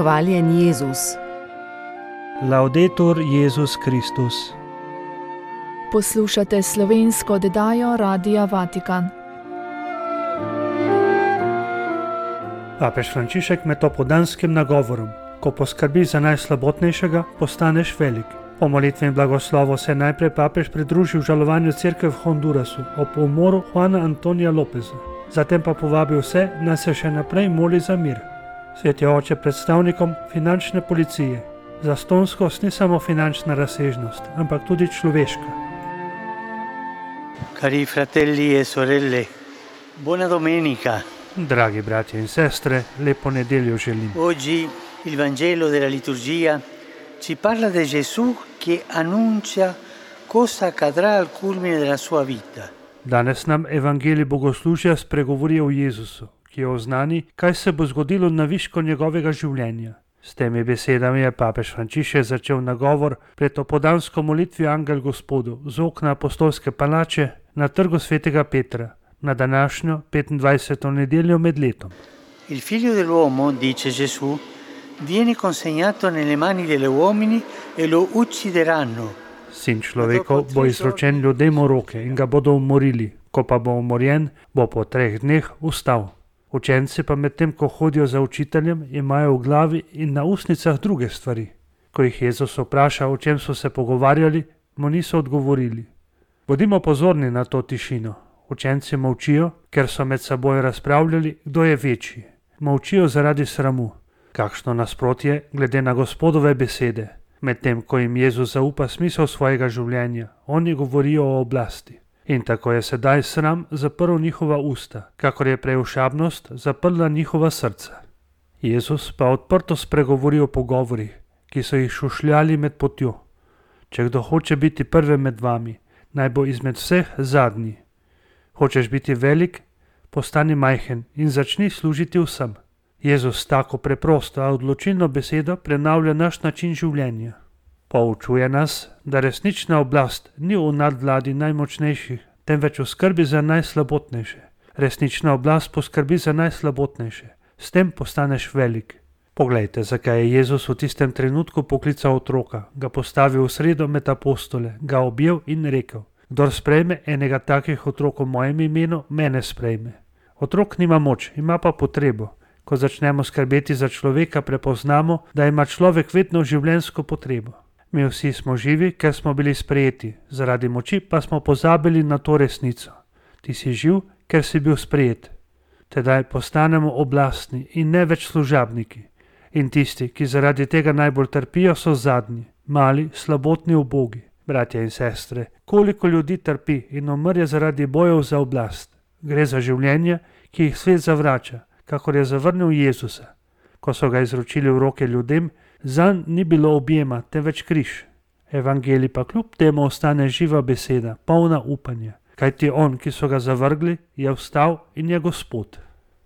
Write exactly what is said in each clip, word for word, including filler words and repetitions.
Hvaljen Jezus. Laudetur Jezus Kristus. Poslušate slovensko oddajo Radia Vatikan. Papež Frančišek med opoldanskim nagovorom: ko poskrbiš za najslabotnejšega, postaneš velik. Po molitvi in blagoslovu se je najprej papež pridružil žalovanju cerkve v Hondurasu ob umoru Juana Antonija Lopeza. Zatem pa povabil vse, naj se še naprej moli za mir. Sveti oče predstavnikom finančne policije. Zastonskost ni samo finančna razsežnost, ampak tudi človeška. Cari fratelli e sorelle, buona domenica. Dragi bratje in sestre, lepo nedeljo želim. Oggi il Vangelo della liturgia ci parla di Gesù che annuncia cosa accadrà al culmine della sua vita. Danes nam evangelij bogoslužja spregovori o Jezusu, ki oznani, kaj se bo zgodilo na višku njegovega življenja. S temi besedami je papež Frančišek začel nagovor pred opoldansko molitvijo Angel Gospodu z okna apostolske palače na trgu svetega Petra, na današnjo petindvajseto nedeljo med letom. Il figlio dell'uomo, dice Gesù, viene consegnato nelle mani degli uomini e lo uccideranno. Sin človekov bo izročen ljudem v roke in ga bodo umorili, ko pa bo umorjen, bo po treh dneh vstal. Učenci pa medtem, ko hodijo za učiteljem, imajo v glavi in na ustnicah druge stvari. Ko jih Jezus vpraša, o čem so se pogovarjali, mu niso odgovorili. Bodimo pozorni na to tišino. Učenci molčijo, ker so med seboj razpravljali, kdo je večji. Molčijo zaradi sramu. Kakšno nasprotje glede na Gospodove besede. Medtem, ko jim Jezus zaupa smisel svojega življenja, oni govorijo o oblasti. In tako je sedaj sram zaprl njihova usta, kakor je preušabnost zaprla njihova srca. Jezus pa odprto spregovori o pogovorih, ki so jih šušljali med potjo. Če kdo hoče biti prvi med vami, naj bo izmed vseh zadnji. Hočeš biti velik, postani majhen in začni služiti vsem. Jezus tako preprosto, a odločilno besedo prenavlja naš način življenja. Poučuje nas, da resnična oblast ni v nadvladi najmočnejših, temveč v skrbi za najslabotnejše. Resnična oblast poskrbi za najslabotnejše. S tem postaneš velik. Poglejte, zakaj je Jezus v tistem trenutku poklical otroka, ga postavil v sredo med apostole, ga objel in rekel: kdor sprejme enega takih otrok v mojem imenu, mene sprejme. Otrok nima moč, ima pa potrebo. Ko začnemo skrbeti za človeka, prepoznamo, da ima človek vedno življenjsko potrebo. Mi vsi smo živi, ker smo bili sprejeti, zaradi moči pa smo pozabili na to resnico. Ti si živ, ker si bil sprejet. Tedaj postanemo oblastni in ne več služabniki. In tisti, ki zaradi tega najbolj trpijo, so zadnji, mali, slabotni, ubogi. Bratje in sestre, koliko ljudi trpi in umrje zaradi bojev za oblast. Gre za življenje, ki jih svet zavrača, kakor je zavrnil Jezusa. Ko so ga izročili v roke ljudem, zanj ni bilo objema, temveč križ. Evangelij pa kljub temu ostane živa beseda, polna upanja. Kajti on, ki so ga zavrgli, je vstal in je Gospod.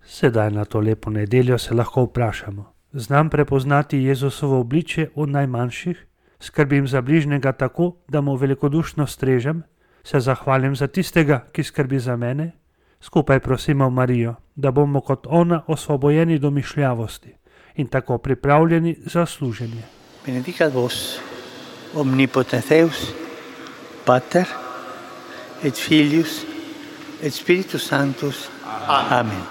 Sedaj na to lepo nedeljo se lahko vprašamo: znam prepoznati Jezusovo obličje v najmanjših? Skrbim za bližnjega tako, da mu velikodušno strežem? Se zahvalim za tistega, ki skrbi za mene? Skupaj prosimo Marijo, da bomo kot ona osvobojeni domišljavosti in tako pripravljeni za služenje. Benedicat vos, omnipotens Deus, Pater, et Filius, et Spiritus Sanctus. Amen.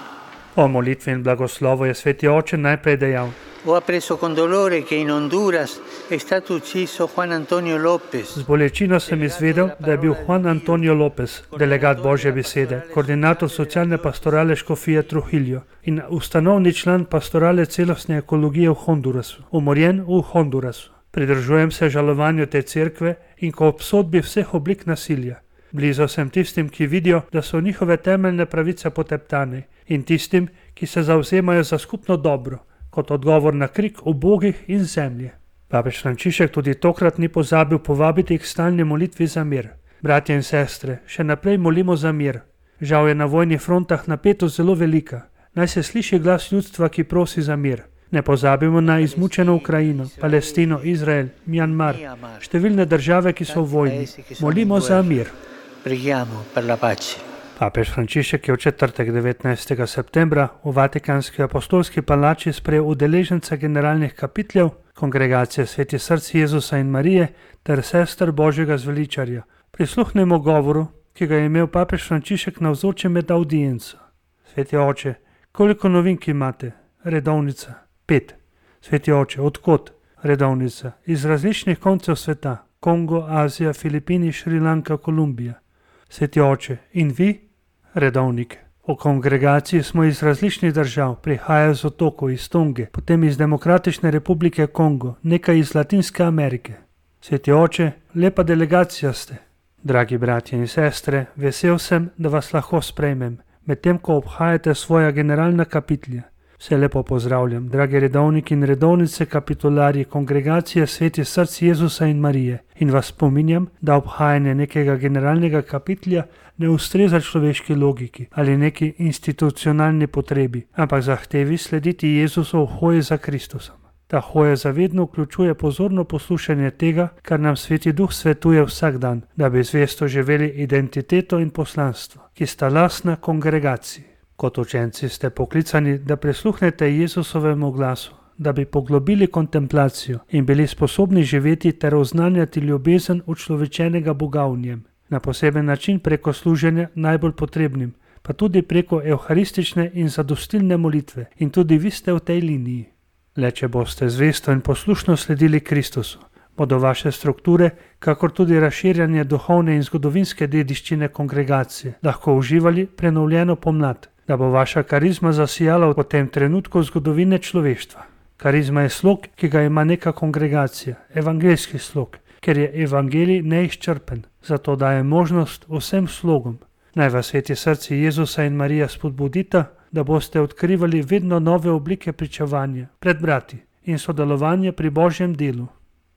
O molitvi in blagoslovu je sveti oče najprej dejal: Ho appreso con dolore che in Honduras è stato ucciso Juan Antonio Lopez. Z bolečino sem izvedel, da je bil Juan Antonio Lopez, delegat Božje besede, koordinator socialne pastorale Škofije Trujillo in ustanovni član pastorale celostne ekologije v Hondurasu, umorjen v Hondurasu. Pridržujem se žalovanju te cerkve in ko obsodbi vseh oblik nasilja. Blizu sem tistim, ki vidijo, da so njihove temeljne pravice poteptane, in tistim, ki se zavzemajo za skupno dobro, kot odgovor na krik ubogih in zemlje. Papež Frančišek tudi tokrat ni pozabil povabiti k stalni molitvi za mir. Bratje in sestre, še naprej molimo za mir. Žal je na vojnih frontah napetost zelo velika. Naj se sliši glas ljudstva, ki prosi za mir. Ne pozabimo na izmučeno Ukrajino, Palestino, Izrael, Mjanmar, številne države, ki so v vojni. Molimo za mir. Preghiamo per la pace. Papež Frančišek je v četrtek devetnajstega septembra v Vatikanski apostolski palači sprejel udeleženca generalnih kapitljev, kongregacije Sveti src Jezusa in Marije ter sester Božjega zveličarja. Prisluhnemo govoru, ki ga je imel papež Frančišek navzoče med audienco. Sveti oče, koliko novink imate? Redovnica. Pet. Sveti oče, odkot? Redovnica. Iz različnih koncev sveta. Kongo, Azija, Filipini, Šrilanka, Kolumbija. Sveti oče, in vi? Redovnik. V kongregaciji smo iz različnih držav, prihajajo z otokov, iz Tonge, potem iz Demokratične republike Kongo, nekaj iz Latinske Amerike. Sveti oče, lepa delegacija ste. Dragi bratje in sestre, vesel sem, da vas lahko sprejmem, medtem ko obhajate svoja generalna kapitlja. Vse lepo pozdravljam, dragi redovniki in redovnice kapitularji kongregacije Sveti src Jezusa in Marije, in vas spominjam, da obhajanje nekega generalnega kapitlja ne ustreza človeški logiki ali neki institucionalni potrebi, ampak zahtevi slediti Jezusu v hoji za Kristusom. Ta hoja zavedno vključuje pozorno poslušanje tega, kar nam Sveti Duh svetuje vsak dan, da bi zvesto živeli identiteto in poslanstvo, ki sta lastna kongregaciji. Kot učenci ste poklicani, da prisluhnete Jezusovemu glasu, da bi poglobili kontemplacijo in bili sposobni živeti ter oznanjati ljubezen učlovečenega Boga v njem, na poseben način preko služenja najbolj potrebnim, pa tudi preko evharistične in zadostilne molitve, in tudi vi ste v tej liniji. Le če boste zvesto in poslušno sledili Kristusu, bodo vaše strukture, kakor tudi razširjanje duhovne in zgodovinske dediščine kongregacije, lahko uživali prenovljeno pomlad, da bo vaša karizma zasijala v tem trenutku zgodovine človeštva. Karizma je slog, ki ga ima neka kongregacija, evangeljski slog, ker je evangelij neizčrpen, zato daje možnost vsem slogom. Naj vas Sveti srci Jezusa in Marija spodbudita, da boste odkrivali vedno nove oblike pričevanja pred brati in sodelovanje pri Božjem delu.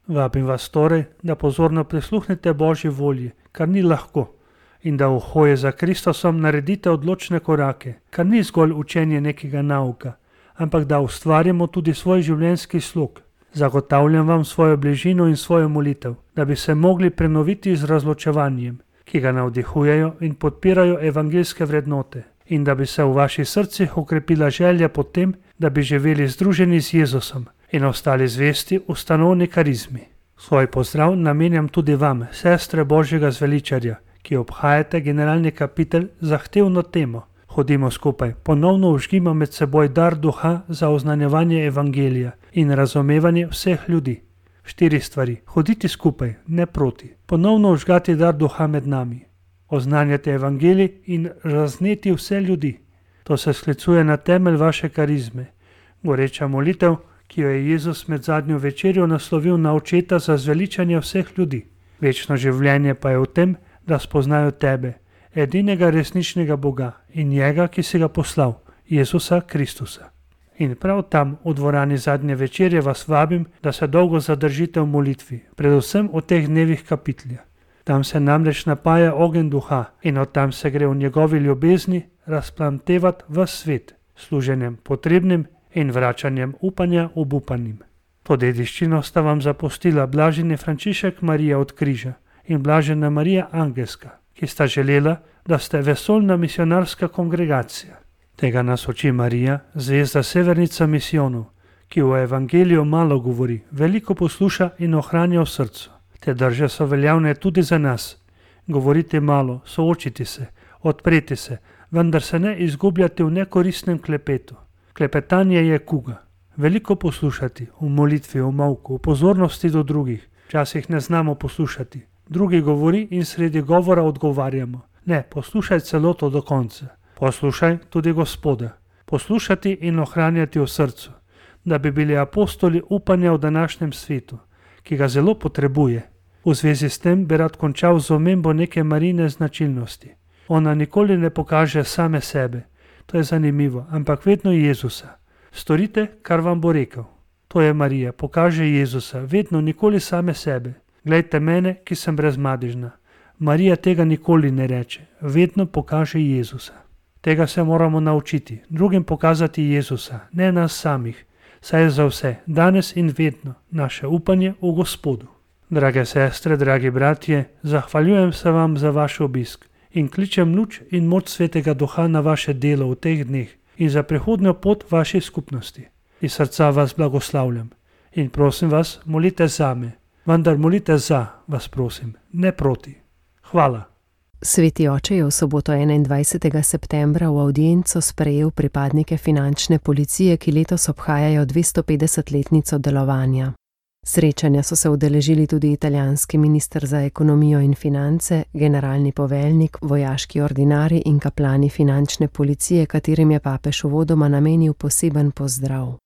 Vabim vas torej, da pozorno prisluhnete Božji volji, kar ni lahko, in da v hoji za Kristusom naredite odločne korake, kar ni zgolj učenje nekega nauka, ampak da ustvarimo tudi svoj življenjski slog. Zagotavljam vam svojo bližino in svojo molitev, da bi se mogli prenoviti z razločevanjem, ki ga navdihujejo in podpirajo evangeljske vrednote, in da bi se v vaših srcih okrepila želja po tem, da bi živeli združeni z Jezusom in ostali zvesti ustanovni karizmi. Svoj pozdrav namenjam tudi vam, sestre Božjega zveličarja, ki obhajate generalni kapitel zahtevno temo. Hodimo skupaj, ponovno vžgimo med seboj dar duha za oznanjevanje evangelija in razumevanje vseh ljudi. Štiri stvari. Hoditi skupaj, ne proti. Ponovno vžgati dar duha med nami. Oznanjati evangelij in razneti vse ljudi. To se sklicuje na temelj vaše karizme. Goreča molitev, ki jo je Jezus med zadnjo večerjo naslovil na očeta za zveličanje vseh ljudi. Večno življenje pa je v tem, da spoznajo tebe, edinega resničnega Boga in njega, ki si ga poslal, Jezusa Kristusa. In prav tam, v dvorani zadnje večerje, vas vabim, da se dolgo zadržite v molitvi, predvsem v teh dnevih kapitlja. Tam se namreč napaja ogenj duha in od tam se gre v njegovi ljubezni razplamtevati ves svet, služenjem potrebnim in vračanjem upanja obupanim. To dediščino sta vam zapustila blaženi Frančišek Marija od križa in blažena Marija Angelska, ki sta želela, da ste vesoljna misionarska kongregacija. Tega nas uči Marija, zvezda severnica misijonov, ki v evangeliju malo govori, veliko posluša in ohranja v srcu. Te drže so veljavne tudi za nas. Govoriti malo, soočiti se, odpreti se, vendar se ne izgubljati v nekoristnem klepetu. Klepetanje je kuga. Veliko poslušati, v molitvi, v molku, v pozornosti do drugih. Včasih ne znamo poslušati. Drugi govori in sredi govora odgovarjamo. Ne, poslušaj celoto do konca. Poslušaj tudi Gospoda. Poslušati in ohranjati v srcu, da bi bili apostoli upanja v današnjem svetu, ki ga zelo potrebuje. V zvezi s tem bi rad končal z omembo neke Marijine značilnosti. Ona nikoli ne pokaže same sebe, to je zanimivo, ampak vedno Jezusa. Storite, kar vam bo rekel. To je Marija, pokaže Jezusa, vedno nikoli same sebe. Glejte mene, ki sem brezmadežna. Marija tega nikoli ne reče, vedno pokaže Jezusa. Tega se moramo naučiti, drugim pokazati Jezusa, ne nas samih, saj je za vse, danes in vedno, naše upanje v Gospodu. Drage sestre, dragi bratje, zahvaljujem se vam za vaš obisk in kličem luč in moč Svetega Duha na vaše delo v teh dneh in za prihodnjo pot vaše skupnosti. Iz srca vas blagoslavljam in prosim vas, molite zame, vendar molite za, vas prosim, ne proti. Hvala. Sveti oče je v soboto enaindvajsetega septembra v avdienco sprejel pripadnike finančne policije, ki letos obhajajo dvestopetdesetletnico delovanja. Srečanja so se udeležili tudi italijanski minister za ekonomijo in finance, generalni poveljnik, vojaški ordinarji in kaplani finančne policije, katerim je papež uvodoma namenil poseben pozdrav.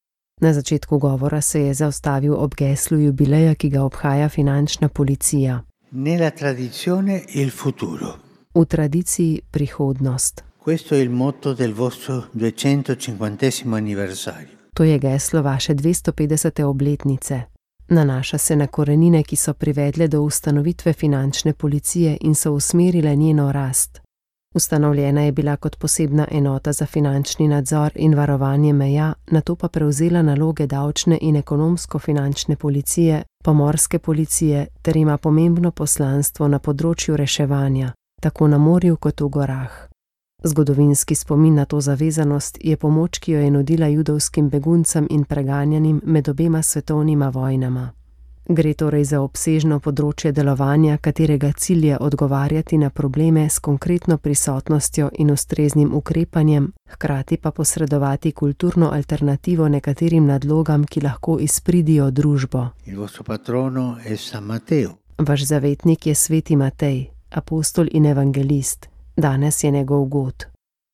Na začetku govora se je zaustavil ob geslu jubileja, ki ga obhaja finančna policija. Nella tradizione il futuro. V tradiciji prihodnost. Questo è il motto del vostro duecentocinquantesimo anniversario. To je geslo vaše dvestopetdesete obletnice. Nanaša se na korenine, ki so privedle do ustanovitve finančne policije in so usmerile njeno rast. Ustanovljena je bila kot posebna enota za finančni nadzor in varovanje meja, nato pa prevzela naloge davčne in ekonomsko-finančne policije, pomorske policije ter ima pomembno poslanstvo na področju reševanja, tako na morju kot v gorah. Zgodovinski spomin na to zavezanost je pomoč, ki jo je nudila judovskim beguncem in preganjanim med obema svetovnima vojnama. Gre torej za obsežno področje delovanja, katerega cilj je odgovarjati na probleme s konkretno prisotnostjo in ustreznim ukrepanjem, hkrati pa posredovati kulturno alternativo nekaterim nadlogam, ki lahko izpridijo družbo. Il vostro patrono è San Matteo. Vaš zavetnik je sveti Matej, apostol in evangelist. Danes je njegov god.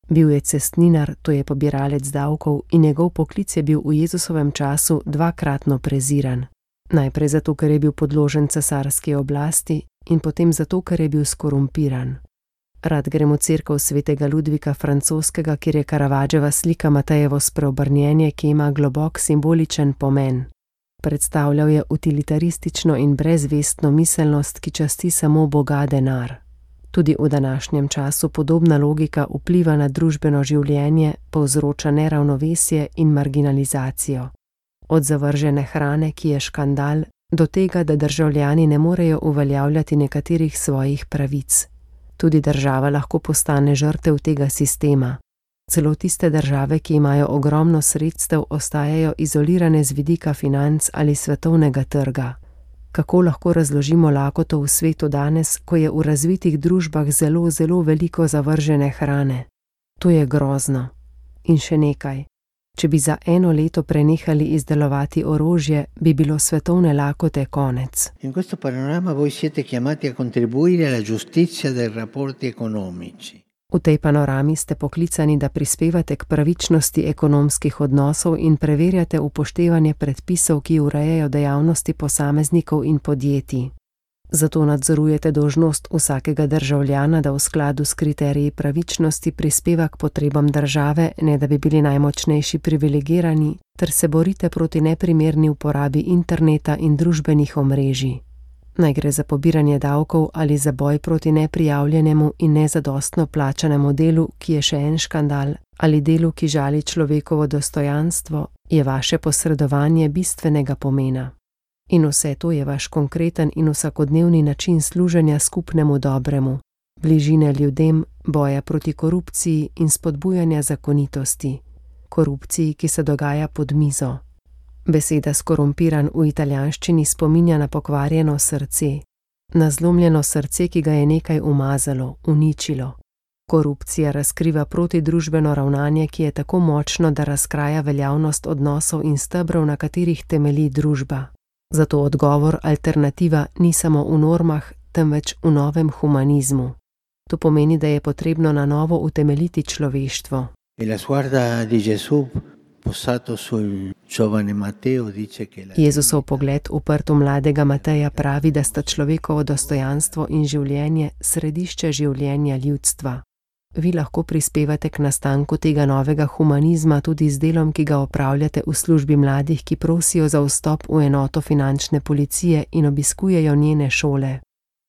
Bil je cestninar, to je pobiralec davkov, in njegov poklic je bil v Jezusovem času dvakratno preziran. Najprej zato, ker je bil podložen cesarski oblasti in potem zato, ker je bil skorumpiran. Rad grem v cerkev svetega Ludvika Francoskega, kjer je Caravaggiova slika Matejevo spreobrnjenje, ki ima globok simboličen pomen. Predstavljal je utilitaristično in brezvestno miselnost, ki časti samo Boga denar. Tudi v današnjem času podobna logika vpliva na družbeno življenje, povzroča neravnovesje in marginalizacijo. Od zavržene hrane, ki je škandal, do tega, da državljani ne morejo uveljavljati nekaterih svojih pravic. Tudi država lahko postane žrtev tega sistema. Celo tiste države, ki imajo ogromno sredstev, ostajajo izolirane z vidika financ ali svetovnega trga. Kako lahko razložimo lakoto v svetu danes, ko je v razvitih družbah zelo, zelo veliko zavržene hrane? To je grozno. In še nekaj. Če bi za eno leto prenehali izdelovati orožje, bi bilo svetovne lakote konec. In questo panorama voi siete chiamati a contribuire alla giustizia dei rapporti economici. V tej panorami ste poklicani, da prispevate k pravičnosti ekonomskih odnosov in preverjate upoštevanje predpisov, ki urejajo dejavnosti posameznikov in podjetij. Zato nadzorujete dolžnost vsakega državljana, da v skladu s kriteriji pravičnosti prispeva k potrebam države, ne da bi bili najmočnejši privilegirani, ter se borite proti neprimerni uporabi interneta in družbenih omrežij. Naj gre za pobiranje davkov ali za boj proti neprijavljenemu in nezadostno plačanemu delu, ki je še en škandal, ali delu, ki žali človekovo dostojanstvo, je vaše posredovanje bistvenega pomena. In vse to je vaš konkreten in vsakodnevni način služenja skupnemu dobremu, bližine ljudem, boja proti korupciji in spodbujanja zakonitosti, korupciji, ki se dogaja pod mizo. Beseda skorumpiran v italijanščini spominja na pokvarjeno srce, na zlomljeno srce, ki ga je nekaj umazalo, uničilo. Korupcija razkriva protidružbeno ravnanje, ki je tako močno, da razkraja veljavnost odnosov in stebrov, na katerih temelji družba. Zato odgovor, alternativa ni samo v normah, temveč v novem humanizmu. To pomeni, da je potrebno na novo utemeljiti človeštvo. Jezusov pogled uprt v mladega Mateja pravi, da sta človekovo dostojanstvo in življenje središče življenja ljudstva. Vi lahko prispevate k nastanku tega novega humanizma tudi z delom, ki ga opravljate v službi mladih, ki prosijo za vstop v enoto finančne policije in obiskujejo njene šole.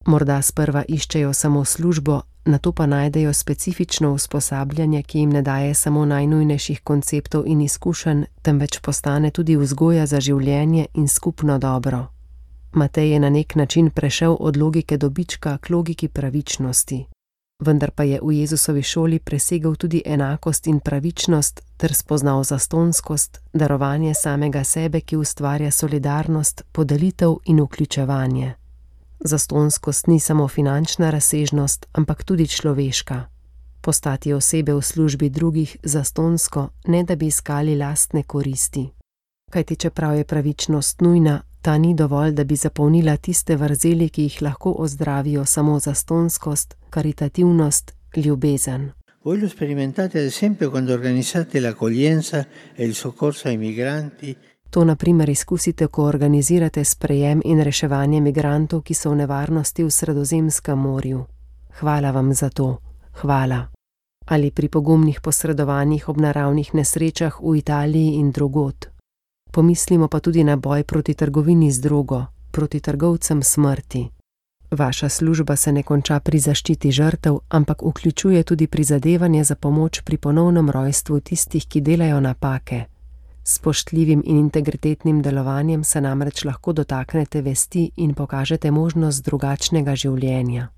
Morda sprva iščejo samo službo, nato pa najdejo specifično usposabljanje, ki jim ne daje samo najnujnejših konceptov in izkušenj, temveč postane tudi vzgoja za življenje in skupno dobro. Matej je na nek način prešel od logike dobička k logiki pravičnosti. vendar pa je v Jezusovi šoli presegel tudi enakost in pravičnost ter spoznal zastonskost, darovanje samega sebe, ki ustvarja solidarnost, podelitev in vključevanje. Zastonskost ni samo finančna razsežnost, ampak tudi človeška. Postati osebe v službi drugih zastonsko, ne da bi iskali lastne koristi. Kajti čeprav je pravičnost nujna, ta ni dovolj, da bi zapolnila tiste vrzeli, ki jih lahko ozdravijo samo zastonskost, karitativnost, ljubezen. Voi lo sperimentate ad esempio quando organizzate l'accoglienza e il soccorso ai migranti. To na primer izkusite, ko organizirate sprejem in reševanje migrantov, ki so v nevarnosti v Sredozemskem morju. Hvala vam za to. Hvala. Ali pri pogumnih posredovanjih ob naravnih nesrečah v Italiji in drugod. Pomislimo pa tudi na boj proti trgovini z drogo, proti trgovcem smrti. Vaša služba se ne konča pri zaščiti žrtev, ampak vključuje tudi prizadevanje za pomoč pri ponovnem rojstvu tistih, ki delajo napake. S spoštljivim in integritetnim delovanjem se namreč lahko dotaknete vesti in pokažete možnost drugačnega življenja.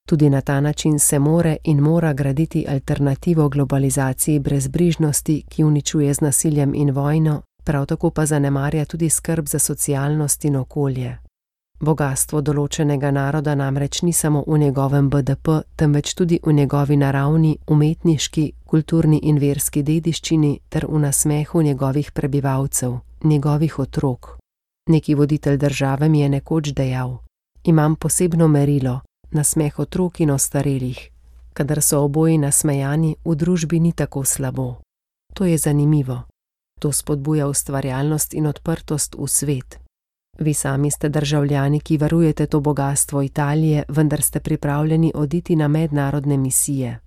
Tudi na ta način se more in mora graditi alternativo globalizaciji brezbrižnosti, ki uničuje z nasiljem in vojno, prav tako pa zanemarja tudi skrb za socialnost in okolje. Bogastvo določenega naroda namreč ni samo v njegovem B D P, temveč tudi v njegovi naravni, umetniški, kulturni in verski dediščini ter v nasmehu njegovih prebivalcev, njegovih otrok. Neki voditelj države mi je nekoč dejal: imam posebno merilo, nasmeh otrok in ostarelih. Kadar so oboji nasmejani, v družbi ni tako slabo. To je zanimivo. To spodbuja ustvarjalnost in odprtost v svet. Vi sami ste državljani, ki varujete to bogastvo Italije, vendar ste pripravljeni oditi na mednarodne misije.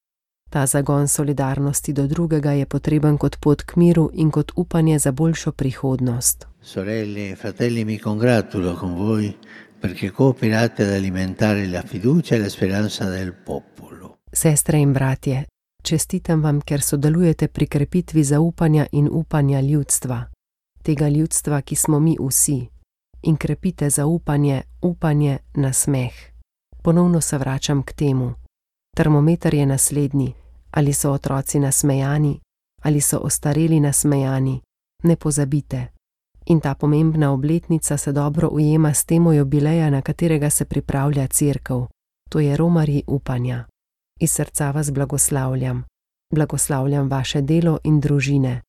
Ta zagon solidarnosti do drugega je potreben kot pot k miru in kot upanje za boljšo prihodnost. Sorelle e fratelli, mi congratulo con voi perché cooperate ad alimentare la fiducia e la speranza del popolo. Sestre in bratje, čestitam vam, ker sodelujete pri krepitvi zaupanja in upanja ljudstva. Tega ljudstva, ki smo mi vsi. In krepite zaupanje, upanje, nasmeh. Ponovno se vračam k temu. Termometer je naslednji. Ali so otroci nasmejani, ali so ostareli nasmejani. Ne pozabite. In ta pomembna obletnica se dobro ujema s temo jubileja, na katerega se pripravlja cerkev. To je romarji upanja. Iz srca vas blagoslavljam. Blagoslavljam vaše delo in družine.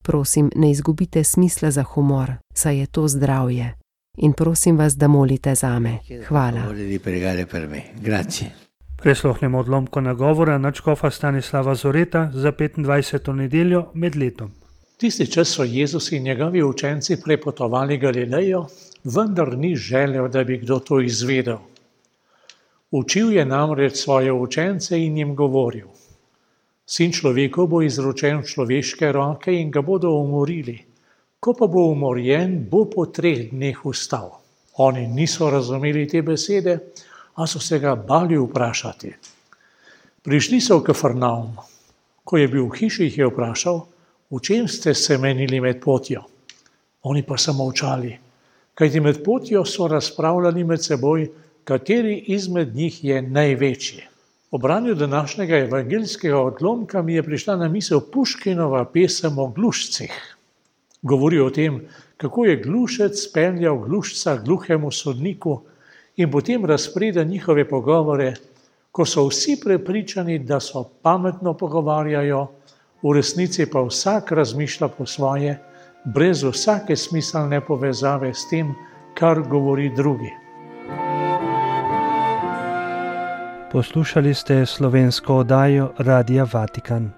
Prosim, ne izgubite smisla za humor, saj je to zdravje. In prosim vas, da molite zame. Hvala. Prisluhnemo odlomku nagovora nadškofa Stanislava Zoreta za petindvajseto nedeljo med letom. Tisti čas so Jezus in njegovi učenci prepotovali Galilejo, vendar ni želel, da bi kdo to izvedel. Učil je namreč svoje učence in jim govoril: Sin človekov bo izročen v človeške roke in ga bodo umorili. Ko pa bo umorjen, bo po treh dneh vstal. Oni niso razumeli te besede, a so se ga bali vprašati. Prišli so v Kafarnaum. Ko je bil v hiši, jih je vprašal: v čem ste se menili med potjo? Oni pa so molčali, kajti med potjo so razpravljali med seboj, kateri izmed njih je največji. O branju današnjega evangeljskega odlomka mi je prišla na misel Puškinova pesem o glušcih. Govori o tem, kako je glušec speljal glušca gluhemu sodniku in potem razpreda njihove pogovore, ko so vsi prepričani, da so pametno pogovarjajo, v resnici pa vsak razmišlja po svoje, brez vsake smiselne povezave s tem, kar govori drugi. Poslušali ste slovensko oddajo Radia Vatikan.